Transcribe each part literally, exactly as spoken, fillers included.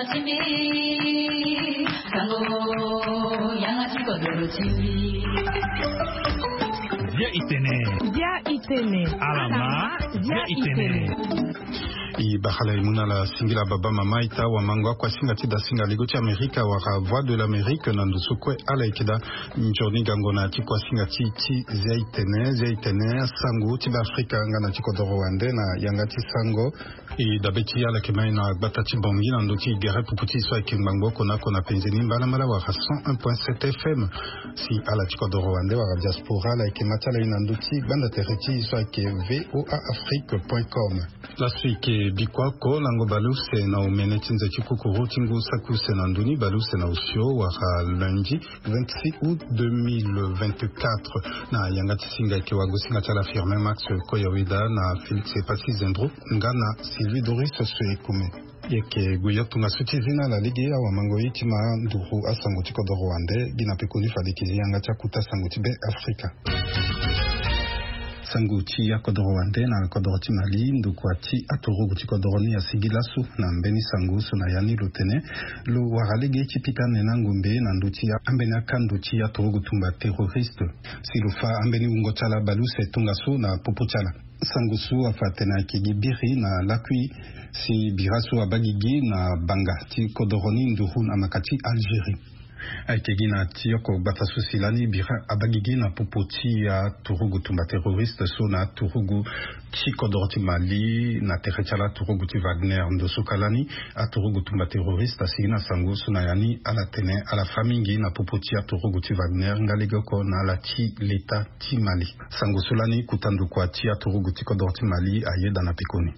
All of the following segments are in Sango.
Bia itene. Bia itene. Alama. Bia itene. I bakala i mu na ala singila baba mama ita wamango akuasinga ti dasinga ligo ti Amerika wala Voix de l'Amérique na ndo so kue ala yeke daa. Nzoni gango na ti kuasinga ti ti Zia itene, Zia itene, sango ti Beafrika nga na ti kodoro wande na yanga ti sango. I dabe ti ala yeke mai na gbata ti Bangui na ndo ti gere pupu ti so ayeke ngbangbo oko na oko na penze ni mbalambala wala cent un point sept F M. Si ala ti kodoro wande wala diaspora ala yeke ma ti ala ye na ndo ti gbanda tere ti so ayeke V O A Afrique point com. Laso e yeke bikua oko lango baleuse na omene ti nze ti kukuru ti ngu saki use na ndo ni baleuse na osio wala lundi vingt-six août deux mille vingt-quatre. Na yanga ti singa e yeke wagosinga ti ala Firmin Max Koyaweda na Félix Epassi Zendro nga na Sylvie Doris Soyekome. E yeke gue yo tongaso ti zi na ala lege awamango ye ti ma nduru asango ti kodoro wande gi na pekoni fade e yeke zi yanga ti akuta sango ti Be Afrika. Sango ti akodoro wande na kodoro ti Mali, ndokua ti aturugu ti kodoro ni asigi laso na mbeni sango so na ya ni lo tene lo wara lege ti pika nene angombe na ndö ti ambeni akando ti aturugu tumba terroriste. Si lo fa ambeni wungo ti ala baleuse tongaso na popo ti ala. Sango so afa atene ayeke gi biri na lakui si bira so abaa gigi na banga ti kodoro ni nduru na maka ti Algérie. Ayeke gi na ti oko gbata so si lani bira abaa gigi na popo ti aturugu tumba terroriste so na aturugu ti kodoro ti Mali na tere ti ala aturugu ti Wagner. Ndo so ka lani aturugu tumba terroriste asigi na sango so na ya ni ala tene ala fa mingi na popo ti aturugu ti Wagner nga lege oko na ala ti leta ti Mali. Sango so lani kota ndokua ti aturugu ti kodoro ti Mali ayeda na pekoni.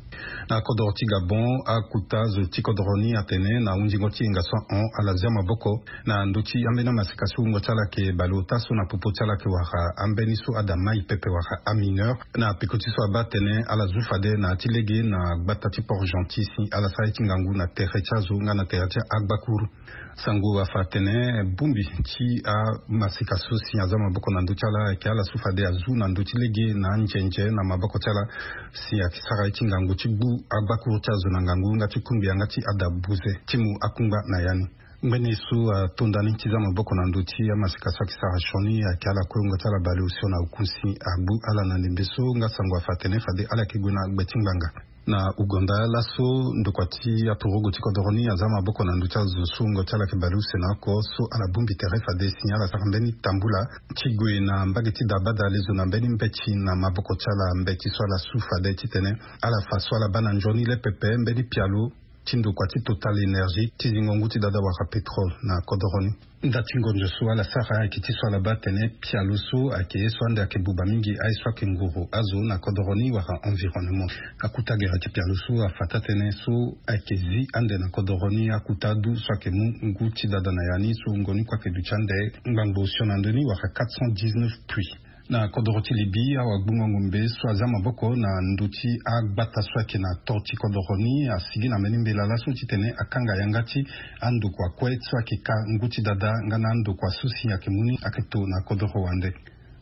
Na kodoro ti Gabon, akuta zo ti kodoro ni atene na hunzingo ti hinga so ahon ala zia maboko na ndö ti ambeni amaseka so wungo ti ala ayeke baleota so na popo ti ala ayeke wara ambeni so ada mai pepe wara amineur. Na peko ti so abaa atene ala zu fade na ya ti lege na gbata ti Port-Gentil si ala sara ye ti ngangu na tere ti azo nga na tere ti agbakuru. Sango afa atene bongbi ti amaseka so si aza maboko na ndö ti ala ayeke ala so fade azu na ndö ti lege na anzenze na maboko ti ala si ayeke sara ye ti ngangu ti gbu agbakuru ti azo na ngangu nga ti kungbi yanga ti ada buze ti mu akungba na ya ni. Ngbene so atonda ni ti za maboko na ndö ti amaseka so ayeke sara sioni ayeke ala kue wungo ti ala baleosio na oku si agbu ala na ndembe so nga sango afa atene fade ala yeke gue na gbe ti ngbanga. Na Ouganda laso ndokua ti aturugu ti kodoro ni aza maboko na ndö ti azo so wungo ti ala yeke baleuse na oko so ala bongbi tere fade si ala sara mbeni tambula ti gue na mbage ti dabada lezo na mbeni mbeti na maboko ti ala mbeti so ala su fade titene ala fa so ala baa na nzoni le pepe mbeni pialo ti ndokua ti Total Énergie ti zingo ngu ti dada wala pétrole na kodoro ni. Nda ti ngonzo so ala sara ayeke ti so ala baa atene pialo so ayeke ye so ande ayeke buba mingi aye so ayeke nguru azo na kodoro ni wala environnement. Akuta gere ti pialo so afa taa-tënë so ayeke zi ande na kodoro ni akuta adu so ayeke mu ngu ti dada na ya ni so wungo ni kue ayeke duti ande ngbangbo osio na ndö ni wala quatre cent dix-neuf puits. Na kodoro ti Libye awagbungo ngombe so aza maboko na ndö ti agbata so ayeke na tor ti kodoro ni asigi na mbeni mbela laso titene akanga yanga ti andokua kue so ayeke ka ngu ti dada nga na andokua so si ayeke mu ni ayeke to na kodoro wande.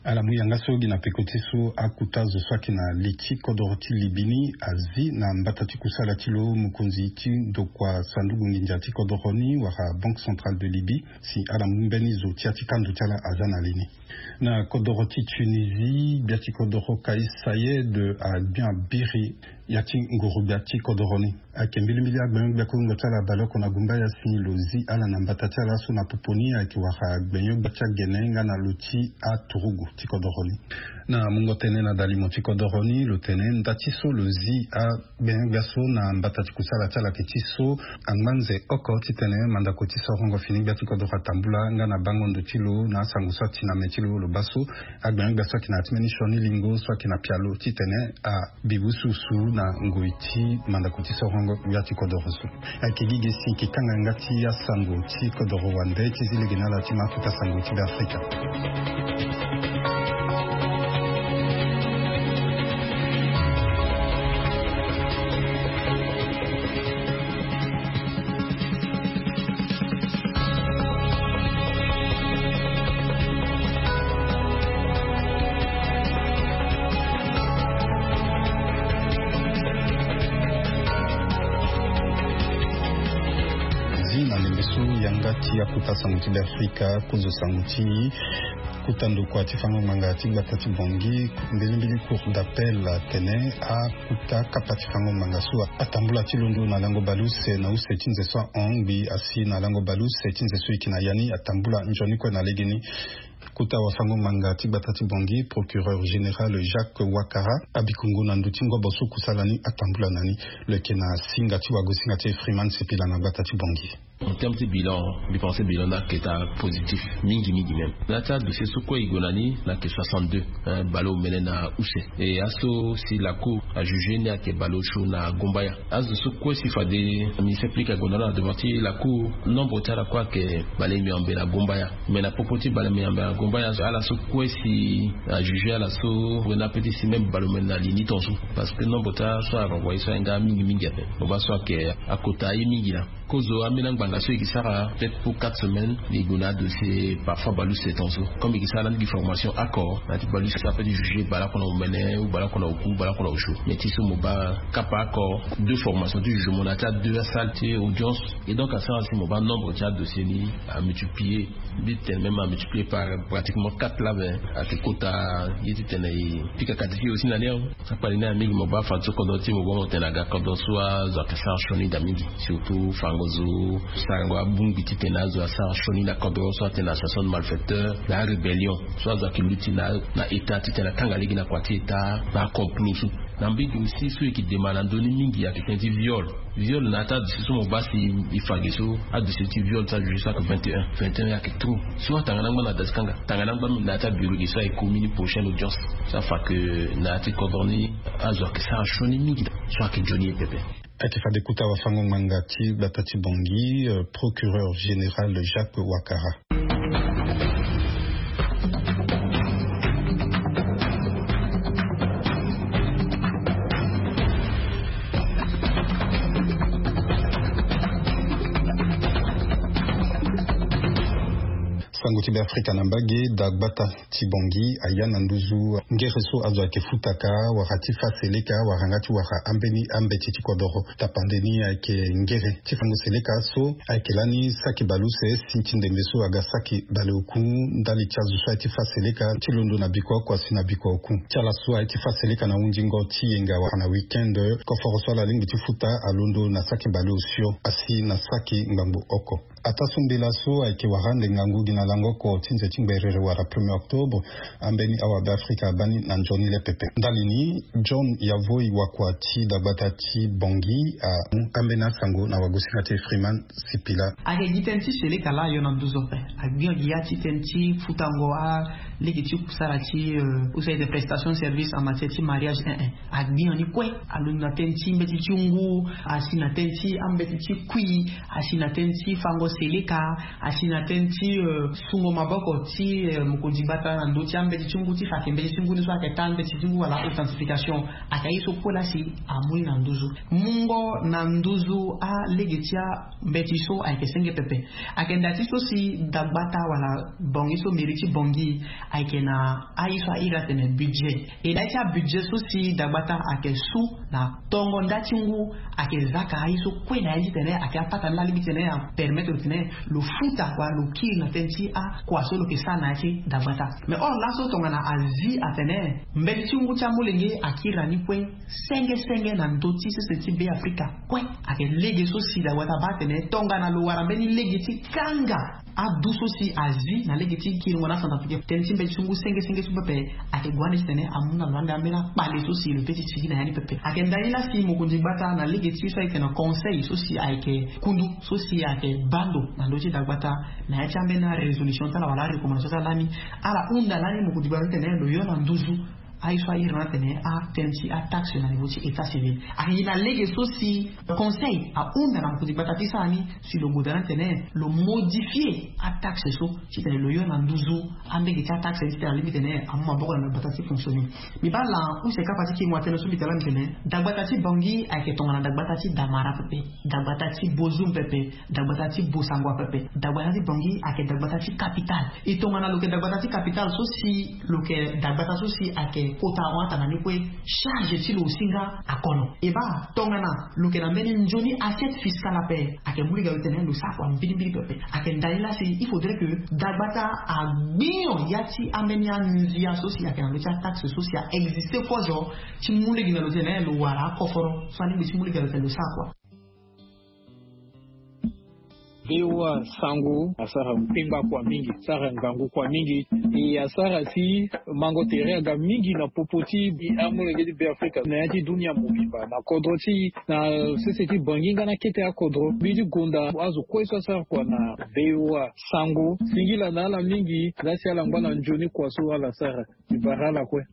Ala mu yanga so gi na peko ti so akuta zo so ayeke na li ti kodoro ti Libye ni azi na mbata ti kusala ti lo mokonzi ti ndokua sanduku nginza ti kodoro ni wala Banque Centrale de Libye si ala mu mbeni zo ti ya ti kando ti ala aza na li ni. Na kodoro ti Tunisie gbia ti kodoro Kais Saied agbia biri ya ti nguru gbia ti kodoro ni. Ayeke mbilimbili agbenyo-gbia kue wungo ti ala abale oko na gumba ya si lo zi ala na mbata ti ala so na popo ni ayeke wara agbenyo-gbia ti agene nga na lo ti aturugu ti kodoro ni. Na mungo tënë na dalimo ti kodoro ni lo tene nda ti so lo zi a gbenyo-gbia so na mbata ti kusala ti ala ayeke ti so angba nze oko titene mandako ti sorongo fini gbia ti kodoro atambula nga na bango ndo ti lo na asango so ati na me ti lo lo baa so agbenyo-gbia so ayeke na ya ti mbeni sioni lingo so ayeke na pialo titene abi bususu na ngoi ti mandako ti sorongo gbia ti kodoro so. Ayeke gi ge si e yeke kanga yanga ti asango ti kodoro wande ti zi lege na ala ti ma akuta sango ti Beafrika. Ti akota sango ti Beafrika, kozo sango ti kota ndokua ti fango ngbanga ti gbata ti Bangui, mbilimbili cour d'appel atene akota kapa ti fango ngbanga so atambula ti londo na lango baleuse na use ti nze so ahon ngbi asi na lango baleuse ti nze so eke na ya ni atambula nzoni kue na legeni. Kota wafango ngbanga ti gbata ti Bangui, procureur général Jacques Wakara, abikongo na ndö ti ngobo so kusala ni atambula na ni. Lo yeke na singa ti wagosinga ti Freeman Sipila na gbata ti Bangui. En terme ti bilan, mbi pense bilan ni ayeke ta positif mingi mingi même. Na ya ti adossier so kue e gue na ni, na yeke soixante-deux, hein, baleomene na use. E aso si la cour ajuge ni ayeke baleosio na Gombaya. Azo so kue si fade ministère public ague na lo na devant ti la cour, nombre ti ala kue ayeke balemeambe na Gombaya. Mais na popo ti balemeambe na Gombaya, ala so kue si ajuge ala so, wena ape ti si même baleomene na li ni tongaso. Parce que nombre ti ala so arenvoye so ahinga mingi mingi ape. Mo baa so ayeke akota aye mingi laa. Kozo ambeni angbanga so e ke sara peut-être pour quatre semaines, e gue na adossier parfois baleuse tongaso. Comme e ke sara lani gi formation oko, na ya ti baleuse so ape ti juger baleoko na omene ou baleoko na oku, baleoko na osio. Mais ti so mo baa kapa oko deux formations ti jugement na ya ti a deux asalle ti audience. Et donc asara si mo baa nombre ti adossier ni amultiplier. Mbi tene même amultiplier par pratiquement quatre laa, mais ayeke kota ye ti tene e pika kati ti e aussi na ni awe. Akpali ni aye mingi, mo baa fadeso kodro ti e, mo baa mo tene aga kodro so azo ayeke sara sioni daa mingi. Surtout fango zo sarango abongbi titene azo asara sioni na kodro so atene association de malfaiteurs, na arébellion so azo ayeke luti na, na état titene akanga lege na kua ti état, na acomplot so. Na mbage aussi so e yeke dema na ndö ni mingi ayeke tënë ti viol. Viol na ya ti adossier so mo baa si e fa ge so, adossier ti viol ti ajuge so ayeke vingt et un. Vingt et un ayeke trop. So atanga na angba na da ti kanga, tanga na angba na ya ti abureau ge so ayeke komi ni prochaine audience. So afa ke na ya ti kodro ni azo ayeke sara sioni mingi so ayeke nzoni ye pepe. Ayeke fade kota wafango ngbanga ti gbata ti Bangui, euh, procureur général Jacques Wakara. Sango ti Beafrika na mbage. Dagbata ti Bangui aya na nduzu ngere so azo ayeke futaka wala ti fa seleka wala nga ti wara ambeni ambeti ti kodoro. Tapande ni ayeke ngere ti fango seleka so ayeke lani saki baleuse si ti ndembe so aga saki baleoku ndali ti azo so aye ti fa seleka ti londo na bikua oko asi na bikua oku. Ti ala so aye ti fa seleka na hundingo ti yenga wala na week-end, koforo so ala lingbi ti futa alondo na saki baleosio asi na saki ngbangbo oko. Ataa so mbela so ayeke wara ande ngangu gi na lango oko ti nze ti ngberere wala premier octobre, ambeni awabeafrika abaa ni na nzoni le pepe. Ndali ni, John Yavoi wakua ti dagbata ti Bangui amu ambeni asango na wagosinga ti Freeman Sipila. Ayeke gi tënë ti seleka laa ayo na nduzu ape. Agbi gi ya ti tënë ti futango alege ti kusala ti, euh, use ayeke prestation service en matière ti mariage, eh, eh. Agbi ni kue, alondo na tënë ti mbeti ti ngu, asi na tënë ti ambeti ti kui, asi na tënë ti fango seleka, asi na tënë ti, euh, sungo maboko ti, euh, mokonzi gbata na ndö ti ambeti ti ngu ti fa ayeke mbeti ti ngu ni so ayeke taa mbeti ti ngu wala authentification. Ayeke aye so kue laa si amu ni na nduzu. Mungo na nduzu alege ti ambeti so ayeke senge pepe. Ayeke nda ti so si dagbata wala Bangui so mairie ti Bangui ayeke na aye so a iri atene budget. E na ya ti abudget so si dagbata ayeke su na tongo nda ti ngu ayeke zaka aye so kue na ya ti tene ayeke apata ni laa alingbi ti tene apermettre lo tene lo futa wala lo kiri na tënë ti akua so lo yeke sara na ya ti dagbata. Mais or laso tongana azi atene mbeti ti ngu ti amolenge akiri na ni kue senge senge na ndö ti sese ti Beafrika kue. Ayeke lege so si dagbata abaa atene tongana lo wara mbeni lege ti kanga adu so si azi na lege ti kiringo na asanza pike tënë ti mbeti ti ngu senge senge so pepe, ayeke gue ande titene amu na lo ande ambeni akpale so si lo peut ti sigi na ya ni pepe. Ayeke ndali ni laa si mokonzi gbata na lege ti so ayeke na conseil so si ayeke kundu so si ayeke baa ndo na ndö ti dagbata na ya ti ambeni arésolution ti ala wala arecommandation ti ala lani, ala hunda lani mokonzi gbata titene lo yo na nduzu aye so a iri na atene atënë ti ataxe na niveau ti état civil. Ayeke gi na lege so si conseil ahunda na mokonzi gbata ti sara ni si lo goda na atene lo modifier ataxe so titene lo yo na nduzu ambege ti ataxe ni titene alingbi tene amu maboko na dagbata ti fonctionner. Mbi baa laa use kapa ti kiri mo atene so mbi tene laa mbi tene dagbata ti Bangui ayeke tongana dagbata ti Damara pepe, dagbata ti Bozoum pepe, dagbata ti Bossangoa pepe. Dagbata ti Bangui ayeke dagbata ti capitale. E tongana lo yeke dagbata ti capitale so si lo yeke dagbata so si ayeke Kota hon atanga ni kue. Charge ti lo aussi nga akono e baa tongana lo yeke na mbeni nzoni assiette fiscale ape. Ayeke mu lege lo tene lo sara kua mbirimbiri pepe. Ayeke ndali laa si il faudrait que dagbata agbinyo ya ti ambeni anzia so si ayeke na lo ti ataxe so si a existe kue zo ti mu lege na lo tene lo wara akoforo so alingbi ti mu lege na lo tene lo sara kua. Bewa sango asara mpengba kua mingi, asara ngangu kua mingi. E asara si mango tere aga mingi na popo ti amolenge ti Beafrika na ya ti dunia mobimba na kodro ti na sese ti bangi nga na kete akodro mbi ti gonda azo kue so asara kua na bewa sango singila na ala mingi. Nga si ala ngba na nzoni kua so ala sara. Ibara ala kue.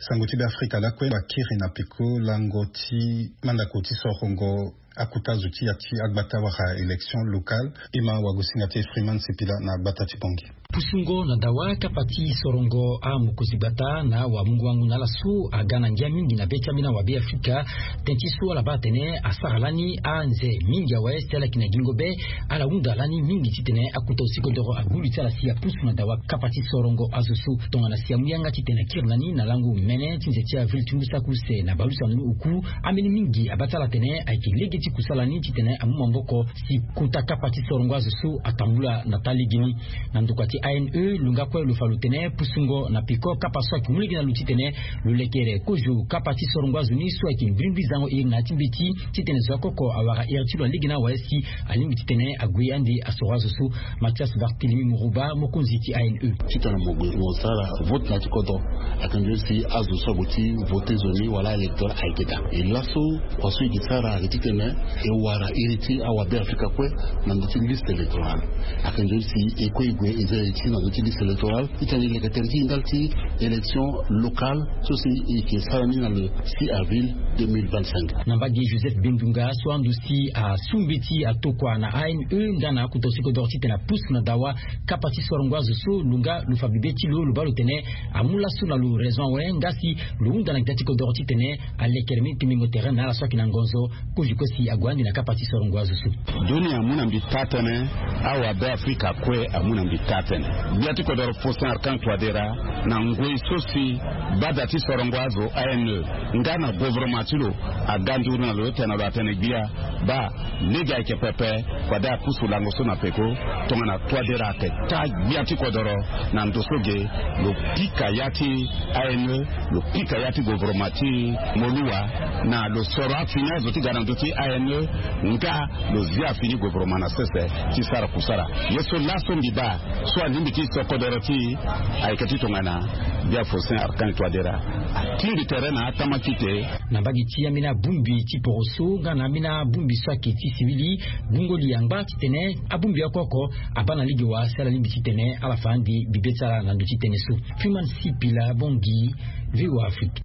Sango ti Beafrika lakue bakiri na peko lango ti mandako ti sorongo akuta zo ti ya ti agbata wala élection locale. E ma wagosinga ti Freeman Sipila na agbata ti Bongi. Pusungo na dawa kapa ti sorongo amokonzi gbata na wamungo wango na ala so aga na ngia mingi na be ti ambeni awabe Afrika. Tënë ti so ala baa atene asara lani anze mingi awe si ala yeke na gingo be. Ala hunda lani mingi titene akuta osikodoro agulu ti ala si apusu na dawa kapa ti sorongo azo so tongana si amu yanga titene akiri na ni na lango mene ti nze ti avil ti ngu saki use na balusa na ni oku. Ambeni mingi abaa ti ala atene ayeke lege ti kusala ni titene amu maboko si kota kapa ti sorongo azo so atambula na taa lege ni. Na ndokua ti A N E lo nga kue lo fa lo tene pusungo na peko kapa so ayeke mu lege na lo titene lo lekere kozo kapa ti sorongo azo ni so ayeke mbirimbiri zango iri na ya ti mbeti titene zo akoko awara iri ti lo alege na awe si alingbi titene ague ande asoro azo so. Mathias Barthélemy Mourouba mokonzi ti A N E. Titene mo gue mo sara vote na ya ti kodro ayeke nzoni si azo so ague ti vote zo ni wala aélecteur ayeke daa. E laso kua so e ke sara ayeke titene e wara iri ti awabe Afrika kue na ndö ti liste électorale. Ayeke nzoni si e kue e gue e za iri ti na ndö ti liste électorale titene e leke tere ti e ndali ti élection locale so si e ke sara ni na le six avril deux mille vingt-cinq. Na mbage Joseph Bendunga so ando si asu mbeti atokua na A N E nga na akota osikodoro titene apusu na dawa kapa ti sorongo azo so lo nga lo fa bibe ti lo lo baa lo tene amu laso na lo raison awe nga si lo hunda na gita ti kodoro titene alekere mbeni tembengo tere na ala so ayeke na ngonzo. Kozo kue si ague ande na kapa ti sorongo azo so. Dunia amu na mbi taa-tënë. Awabe Afrika kue amu na mbi taa-tënë. Gbia ti kodoro Faustin Archange Touadéra na ngoi so si gbada ti sorongo azo A N E nga na gouvernement ti lo aga nduru na lo tene na lo atene gbia baa lege ayeke pepe. Fade apusu lango so na peko tongana Touadéra ayeke taa gbia ti kodoro na ndo so ge lo pika ya ti A N E lo pika ya ti gouvernement ti Moluwa na lo soro afini azo ti ga na ndö ti A N E nga lo zia afini gouvernement na sese ti sara kusala. Ye so laso mbi baa so alingbi ti so kodoro ti e ayeke ti tongana gbia Faustin Archange Touadéra atingbi tere na atama kite. Na mbage ti ambeni abongbi ti poroso nga na ambeni abongbi so ayeke ti sivili bongoli angba titene abongbi oko oko abaa na lege wa si ala lingbi titene ala fa ande bibe ti ala na ndö ti tënë so. Freeman Sipila Bongi, V O A Afrique.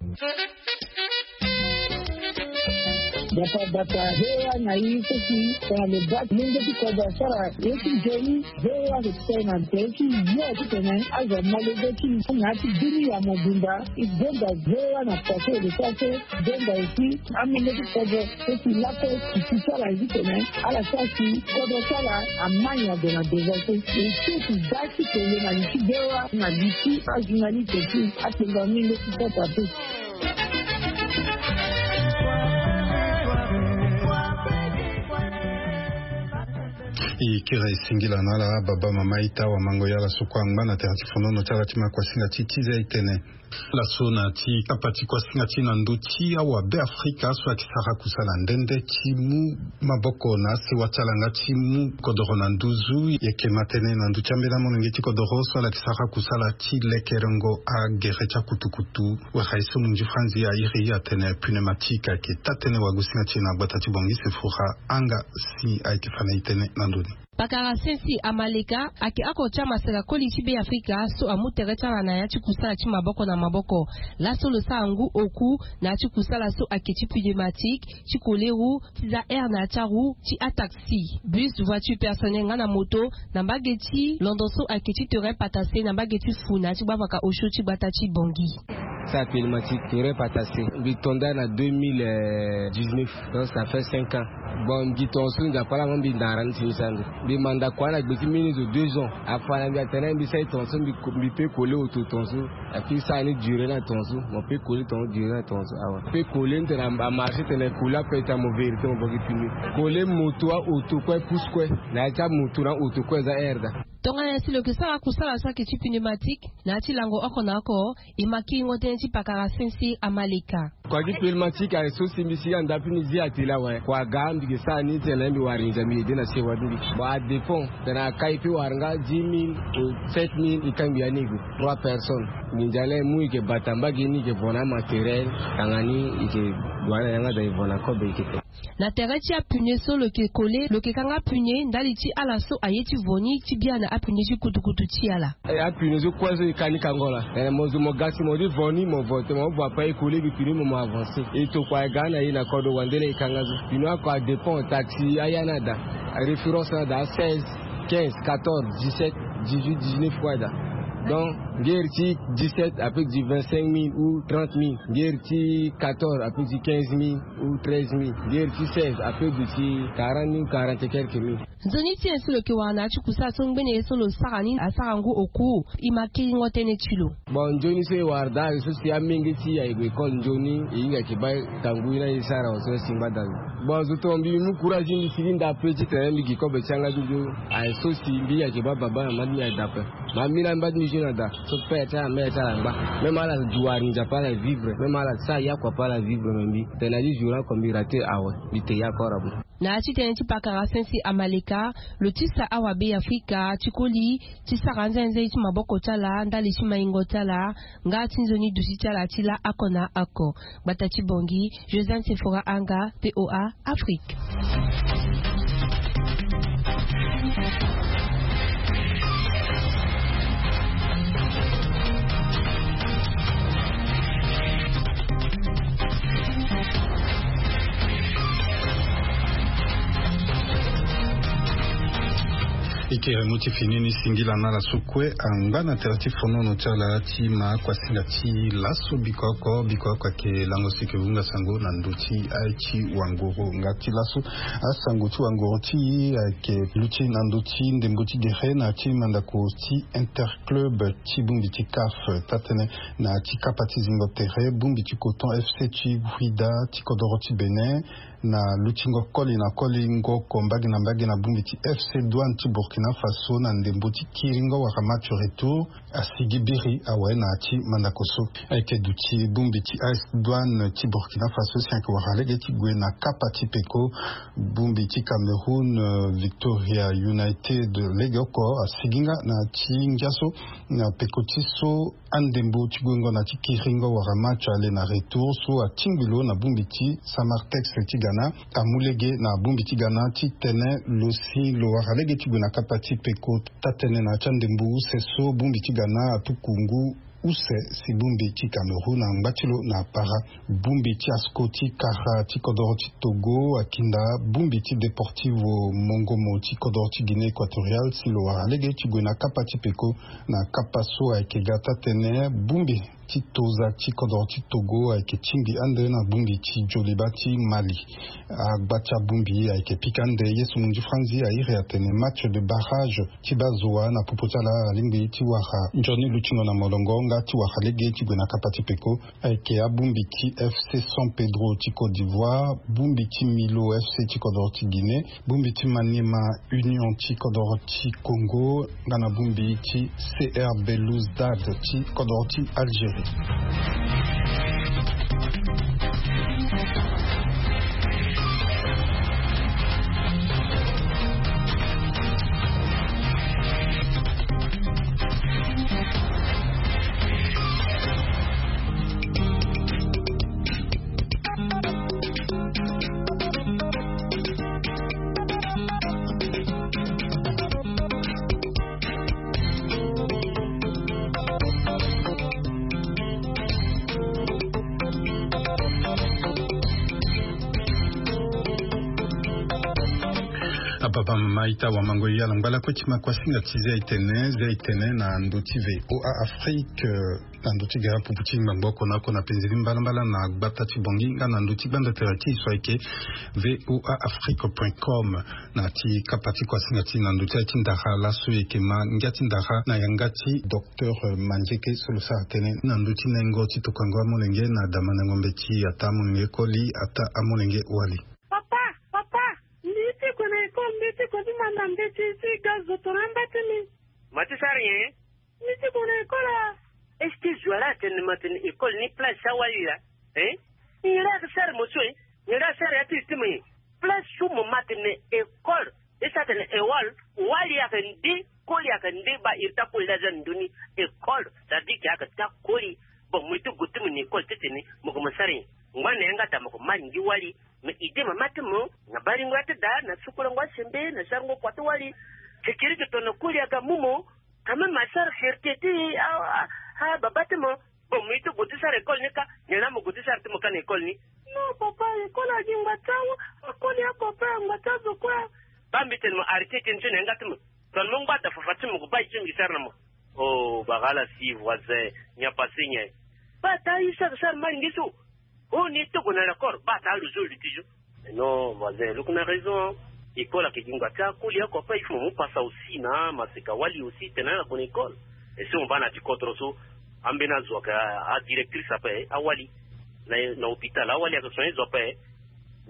Gbata gbata V O A na i so si tongana lo baa molenge ti kodro asara ye ti nzoni. V O A ayeke ti tene na tere ti yo titene azo molenge ti na ya ti dunia mobimba. E gonda V O A na pase e lo sara so. Gonda aussi amolenge ti kodro so si lakue si ti sara ye titene ala sara si kodro ti ala amai ague na devant so. E so si da ti tene na li ti V O A na li ti ajournaliste ti atenga molenge ti kota te. E kiri e singila na ala baba mama ita wamango ya ala so kue angba na tere ti fonono ti ala ti ma kuasinga ti ti za e tene. Laso na ti kapa ti kuasinga ti na ndö ti awabe Afrika so ayeke sara kusala nde nde ti mu maboko na asewa ti ala nga ti mu kodoro na nduzu. E yeke ma tënë na ndö ti ambeni amolenge ti kodoro so ala yeke sara kusala ti lekerengo agere ti akutukutu. Wala e so munzi franzi airi atene pneumatique ayeke taa-tënë wagosinga ti e na gbata ti Bangui Sephora anga si ayeke fa na e tënë na ndö ni. Pakara Sensi Amaleka ayeke oko ti amaseka koli ti Beafrika so amu tere ti ala na ya ti kusala ti maboko na maboko. Laso lo sara ngu oku na ya ti kusala so ayeke ti pneumatique, ti koleru, ti za air na ya ti aru, ti ataxi, bus, voiture personnelle nga na moto, na mbage ti londo so ayeke ti terrain patase na mbage ti fu na ya ti gbavaka osio ti gbata ti Bangui. Sa pneumatique terrain patase mbi to nda na deux mille dix-neuf. Donc ça fait cinq ans. Bon mbi to so nzapa la mo mbi ndara ni ti mbi sara ndo. Mbi manda kua na gbe ti mbeni zo deux ans. Afa na mbi atene mbi sara tongaso, mbi pe kole oto tongaso. Ape sara ni duré na tongaso, mo pe kole tongaso duré na tongaso awe. Pe kole ni tene amarché tene kole ape ti amo vérité mo boki puni. Kole moto a oto kue pousse kue. Na ya ti amoto na oto kue eza aire daa. Tongana nyen si lo yeke sara kusala so ayeke ti pneumatique na ya ti lango oko na oko? E ma kiringo tënë ti pakara Sensi Amaleka. Kua ti pneumatique aye so si mbi sigi anda puni zi atelier awe. Kua aga mbi yeke sara ni tene mbi wara nginza mbi ede na sewa ti mbi. Bon, adépend tene akai pe wara nga dix mille ou sept mille, e kangbi ya ni gue trois personnes. Nginza laa e mu e yeke bata mbage ni, e yeke vo na amatériel, tanga ni e yeke gue na yanga daa e vo na kobe e yeke. Na tere ti apneu so lo yeke kole, lo yeke kanga apneu ndali ti ala so aye ti vo ni ti bia na apneu ti kutukutu ti ala. Eh, apneu so kue so e ka ni kango laa. Eh, mo zo mo ga si mo ti vo ni, mo vo te, mo vo ape e kole gi pneu mo, mo avancé. E tokua e ga na e na kodro wande laa e kanga so. Pneu oko adépend, taxi aya ni ada, référence ni ada seize, quinze, quatorze, dix-sept, dix-huit, dix-neuf kue ada. Donc ngeri ti dix-sept ape ti di vingt-cinq mille ou trente mille. Ngeri ti quatorze ape ti di quinze mille ou treize mille. Ngeri ti seize ape ti di ti quarante mille ou quarante et quelques mille. Nzoni ti nyen so lo yeke wara na ya ti kusala so ngbene ye so lo sara ni asara ngu oku? E ma kiringo tënë ti lo. Bon, nzoni so e wara daa aye so si amenge ti e aye gue école nzoni, e hinga yeke baa tangu ye ni aye sara awe so si ngbada lo. Bon, zo tonga mbi mu courage ti mbi sigi nda pe titene mbi gi kobe ti yanga ti nzoni. Aye so si mbi hinga yeke baa baba na mama ti mbi aye daa ape. Ma mbi na mba ti mbi zo na daa so père ti ala, mère ti ala angba. Même ala duwari nzapa ala vivre, même ala sara yakua pe ala vivre, me mbi tene na ti jour oko mbi raté awe. Mbi te ya kora bo. Na ya ti tënë ti pakara Sensi Amaleka, lo tisa awabe Afrika ti koli ti sara nzenze ti maboko ti ala ndali ti maingo ti ala nga ti nzoni duti ti ala ti laa oko na oko. Gbata ti Bangui, Josiane Sephora Anga, V O A Afrique. E kere mo ti fini ni singila na ala so kue angba na tere ti fonono ti ala ti ma akuasinga ti laso. Biko oko, biko oko ayeke lango si e yeke hunga sango na ndö ti aye ti wangoro nga ti laso. Asango ti wangoro ti e ayeke luti na ndö ti ndembo ti gere na ya ti mandako ti interclub ti bongbi ti CAF. Taa-tënë na ya ti kapa ti zingo tere, bongbi ti Coton F C ti Ouidah ti kodoro ti Bénin, na lutingo koli na kolingo oko mbage na mbage na bongbi ti F C Douane ti Burkina Faso na ndembo ti kiringo wala match retour, asigi biri awe na ya ti mandako so. Ayeke duti bongbi ti A S Douane ti Burkina Faso si ayeke wara lege ti gue na kapa ti peko. Bongbi ti Cameroun, euh, Victoria United, lege oko asigi nga na ya ti ngia so na peko ti so andembo ti guengo na ti kiringo wala match aller na retour so atingbi lo na bongbi ti Samartex ti Ghana. Amu lege na bongbi ti Ghana titene lo si lo wara lege ti gue na kapa ti peko. Taa-tënë na ya ti andembo use so bongbi ti Ghana atuku ngu use si bongbi ti Cameroun angba ti lo na apara. Bongbi ti ASCO ti kara ti kodoro ti Togo akinda bongbi ti Deportivo Mongomo ti kodoro ti Guinée Équatoriale si lo wara lege ti gue na kapa ti peko. Na kapa so ayeke ga taa-tënë, bongbi ti Toza ti kodoro ti Togo ayeke tingbi ande na bongbi ti Djoliba ti Mali. Agba ti abongbi ayeke pika ande. Ye so munzu franzi airi atene match de barrage ti bazoa na popo ti ala alingbi ti wara nzoni lutingo na molongo nga ti wara lege ti gue na kapa ti peko. Ayeke abongbi ti F C San Pedro ti Côte d'Ivoire, bongbi ti Milo F C ti kodoro ti Guinée, bongbi ti Maniema Union ti kodoro ti Congo, nga na bongbi ti C R Belouizdad ti kodoro ti Algérie. Papa, mama, ita, wamango, yala ngbala kue ti ma kuasinga ti zia itene, zia itene na ndö ti VOA Afrique, eh, na ndö ti gara pupu ti ngbangbo oko na oko na penzeli mbalambala na gbata ti Bangui nga na ndö ti gbanda tere ti e so ayeke VOA Afrique point com. Na ti kapa ti kuasinga ti na ndö ti aye ti ndara laso e yeke ma ngia ti ndara na yanga ti docteur Mandieke so lo sara tënë na ndö ti nengo ti tokuango amolenge na damandango mbeti, ataa amolenge koli, ataa amolenge wali. Papa, papa, mbi ye ti gue na école, mbi ye ti gue ti manda mbeti ti ga zo tongana amba ti mbi. Ma ti sara nyen? Mbi ye ti gue na école a. Est-ce que zo wara atene ma tene école ni place ti awali laa? Hein? Nyen laa ayeke sara mo so, hein? Nyen laa asara ya ti e ti mo, hein? Place so mo ma tene école, e sara tene école, wali ayeke nde, koli ayeke nde, baa iri ti akoli laa aza na ndö ni école, ça veut dire que ayeke ti akoli. Bon, mo ye ti gue ti mo na école ti tene mo gue mo sara nyen? Ngba na yanga daa mo gue ma ngi wali. Mais idée mama ti mo na baringo ya ti daa na sukulango asembe na sarango kua ti wali. Kekere yeke tongana koli aga mu mo, quand même asara fierté ti a, a, a baba ti mo. Bon, mo ye ti gue ti sara école ni ka, nyen laa mo gue ti sara ti mo ka na école ni? Non papa, école agi ngba ti awa, akoli ako ape, ngba ti azo kue. Baa mbi tene mo arrêter tënë so na yanga ti mo. Tongana mo ngba daa fafa ti mo gue baa ye ti mbi sara na mo. Oh bagala si voisin, nyen apasé nyen? Baa taa ye sara sara malinge so. Oh, ni togo na l'accord, baa taa lo zo lo ti zo. Non, voisin, lo yeke na raison. École ayeke gi ngba ti akoli oko ape, il faut mo mu pasa aussi na amaseka wali aussi tene ala gue na école. Et si mo baa na ti kodro so, ambeni azo ayeke a, adirectrice ape, awali na, na hôpital, awali ayeke soigner zo ape.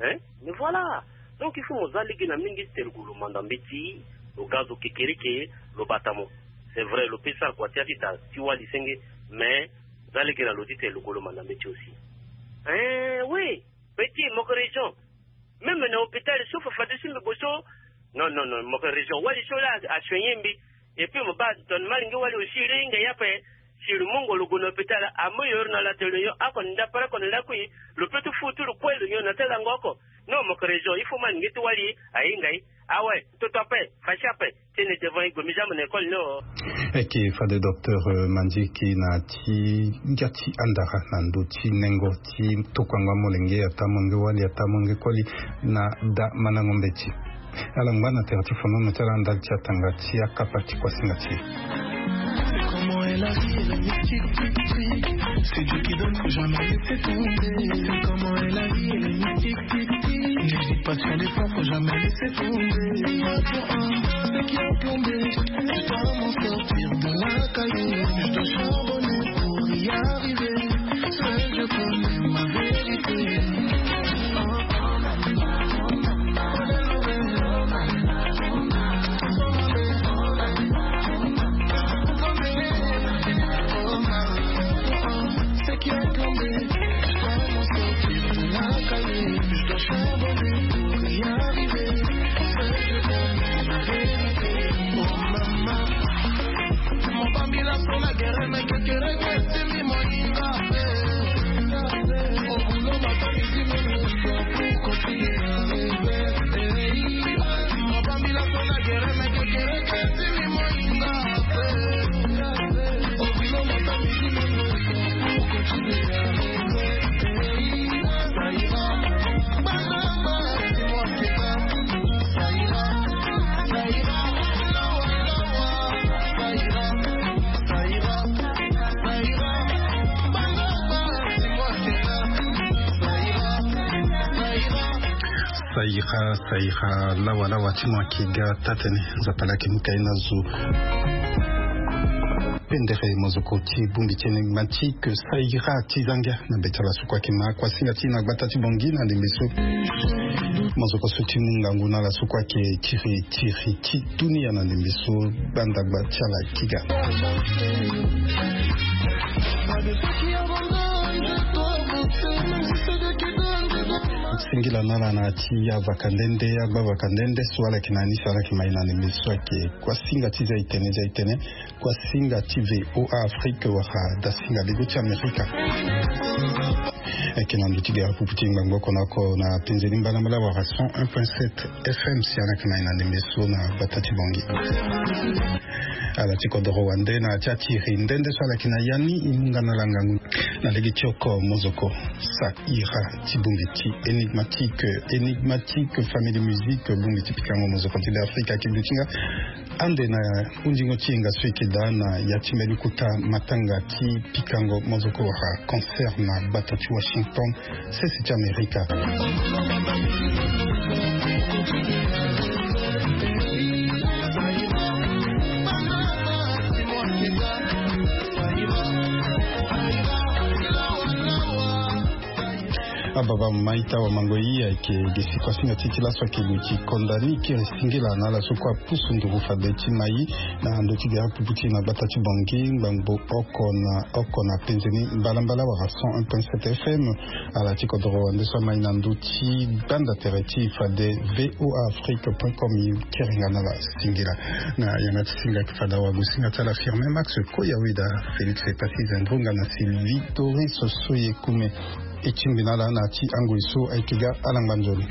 Hein? Mais voilà. Donc il faut mo za lege na mingi ti tene lo gue lo manda mbeti, lo ga zo kekereke, lo bata mo. C'est vrai, lo peut sara kua ti ya ti daa ti wali senge, mais za lege na lo ti tene lo gue lo manda mbeti aussi. Hein, oui. Petit, mo yeke raison. Même na hôpital so fafa ti si mbi gue so. Non, non, non, mo yeke raison. Wali so laa asoigner mbi. Et puis mo baa tongana malinge wali aussi lo hinga ye ape. Si lo mungo lo gue na hôpital, amu yo iri na lo atene lo nyon oko na ndapara oko na lakui. Lo peut ti fu ti lo kue lo nyon na ti lango oko. Non, mo yeke raison. Il faut malinge ti wali ahinga ye. Ah ouais, toto ape, fâché ape. Tene devant e gue mbi za mo na école ni o. Eke fade docteur, euh, Mandieke na ti ngia ti andara na ndö ti nengo ti tokuango amolenge, ataa amolenge wali, ataa amolenge koli na damandango mbeti. Ala ngba na tere ti fonono ti ala ndali ti atanga ti akapa ti kuasinga ti e. Comment est la vie, elle est mythique, tic, tic. C'est Dieu qui donne, faut jamais laisser tomber. Comment est la vie, elle est mythique, tic, tic. N'hésite pas sur les pas, faut jamais laisser tomber. Ceux qui ont plombé, je dois m'en sortir de la caillou. Je dois charbonner pour y arriver. Seul Dieu connaît ma vérité. Saira, saira, lawa, lawa ti mo ayeke ga taa-tënë. Nzapa laa ayeke mu ka ye na zo. Pendere mozoko ti bongbi ti e ni, Mandieke Saira ti za ngia na be ti ala so kue ayeke ma kuasinga ti e na gbata ti Bangui na ndembe so. Mozoko so ti mu ngangu na ala so kue ayeke tiri tiri ti dunia na ndembe so. Gbandagba ti ala ti ga. Singila na ala na ti avaka nde nde, agba vaka nde nde so ala yeke na ni so ala yeke ma e na ndembe so ayeke kuasinga ti za itene, za itene, kuasinga ti VOA Afrique wala dasinga lego ti Amerika. Ayeke na ndö ti gara pupu ti ngbangbo oko na oko na penzeli mbalambala wala cent un point sept FM si ala yeke ma e na ndembe so na gbata ti Bangui. Ala ti kodoro wande na ya ti atiri nde nde so ala yeke na ya ni, e mu nga na ala ngangu na lege ti oko mozoko. Sa ira ti bongbi ti énigmatique, énigmatique famille de musique, bongbi ti pikango mozoko ti be Afrika ayeke duti nga ande na hundingo ti yenga so e yeke daa na ya ti mbeni kota matanga ti pikango mozoko wala concert na gbata ti Washington, sese ti Amerika. Ababa mama ita wa mango i ayeke ge si kuasinga ti ti laso ayeke luti konda ni kiri singila na ala so kue apusu nduru fade ti mai na ndö ti gere apupu ti na gbata ti Bangui ngbangbo oko na oko na penze ni mbalambala wala cent un point sept F M. Ala ti kodoro wande so amai na ndö ti gbanda tere ti fade V O A Afrique point com, i kiri nga na ala singila. Na yanga ti singa ayeke fada wagu singa ti ala Firmin Max Koyaweda, Félix Epassi Zendronga na Sylvie Doris Soyekume. E tingbi na ala na ya ti angoi so ayeke ga ala ngba nzoni.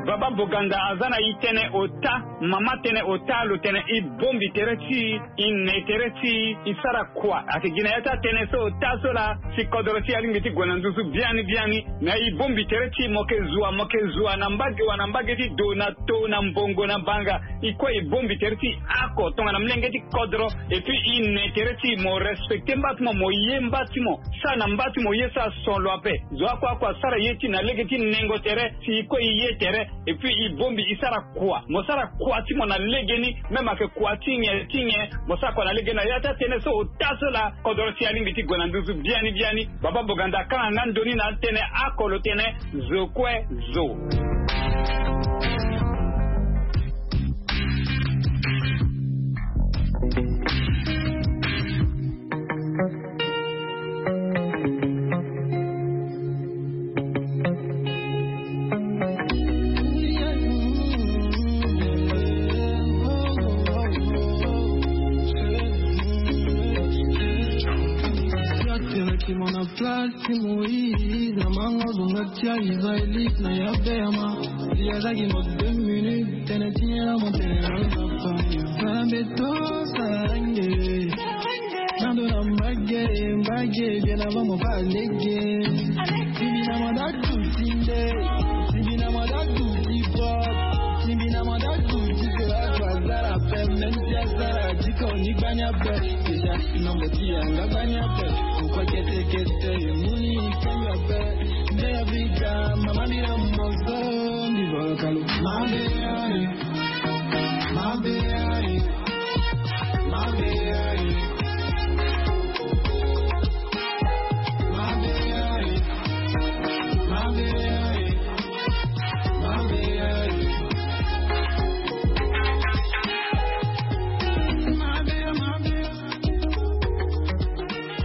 Baba Boganda aza na e tënë ota, mama tënë ota, lo tene e bongbi tere ti e, e ne tere ti e, e sara kua. Ayeke gi na ya ti atënë so ota so laa si kodoro ti e alingbi ti gue na nduzu biani biani. Na e bongbi tere ti e, mo yeke zua, mo yeke zua na mbage wa na mbage ti do na to na mbongo na banga. E kue e bongbi tere ti e oko tongana molenge ti kodro. Et puis e ne tere ti e, mo respecte mba ti mo, mo ye mba ti mo, sara na mba ti mo ye so ason lo ape. Zo oko oko asara ye ti e na lege ti nengo tere si e kue e ye tere. Et puis e bongbi e sara kua, mo sara kua ti mo na legeni. Même ayeke kua ti nyen ti nyen, mo sara kua na legeni. Na ya ti atënë so ota so laa kodoro ti e alingbi ti gue na nduzu biani biani. Baba Boganda akanga nga ndo ni na atënë oko, lo tene zo kue zo. Place ti Moïse na mango zonga ti Israélite na ya bema. Si azalaki mo deux minutes, tene ti nyela mo tene na papa. Bambe to sarange. Nando na mbage, mbage, bien avant mo pa lege. Tibi na mo da tu tinde. Tibi na mo da tu ti pop. Tibi na mo da tu ti sera. Déjà nombo ti yanga gbani ape. Pourquoi kete kete muni kanga pe? Nde ya vika mama mira mozo. Mbi volo kalo mama mira.